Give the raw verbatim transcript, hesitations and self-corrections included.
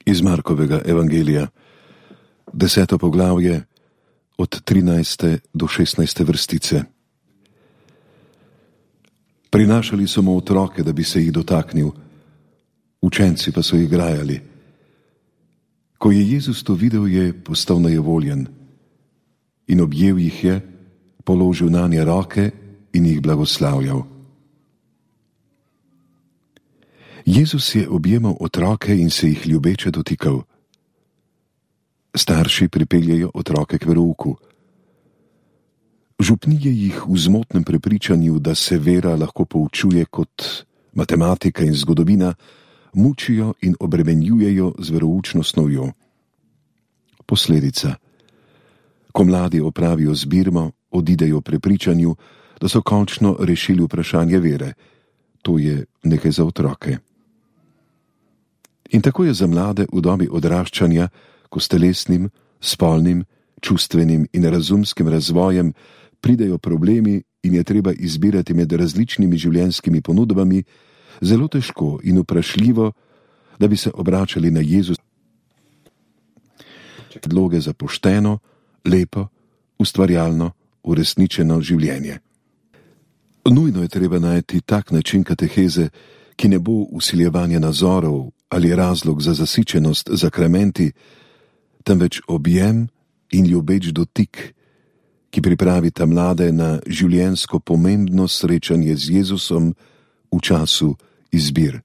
Iz Markovega evangelija, deseto poglavje, od trinajste do šestnajste vrstice. Prinašali so mu otroke, da bi se jih dotaknil, učenci pa so jih grajali. Ko je Jezus to videl, je postal nejevoljen in objel jih je, položil nanje roke in jih blagoslavljal. Jezus je objemal otroke in se jih ljubeče dotikal. Starši pripeljejo otroke k verouku. Župnije jih v zmotnem prepričanju, da se vera lahko poučuje kot matematika in zgodovina, mučijo in obremenjujejo z veroučno snovjo. Posledica. Ko mladi opravijo zbirmo, odidejo v prepričanju, da so končno rešili vprašanje vere. To je nekaj za otroke. In tako je za mlade v dobi odraščanja, ko s telesnim, spolnim, čustvenim in razumskim razvojem pridejo problemi in je treba izbirati med različnimi življenjskimi ponudbami, zelo težko in vprašljivo, da bi se obračali na Jezusa. Predloge za pošteno, lepo, ustvarjalno, uresničeno življenje. Nujno je treba najti tak način kateheze, ki ne bo vsiljevanje nazorov ali razlog za zasičenost zakramenti, temveč objem in ljubeč dotik, ki pripravita mlade na življenjsko pomembno srečanje z Jezusom v času izbir.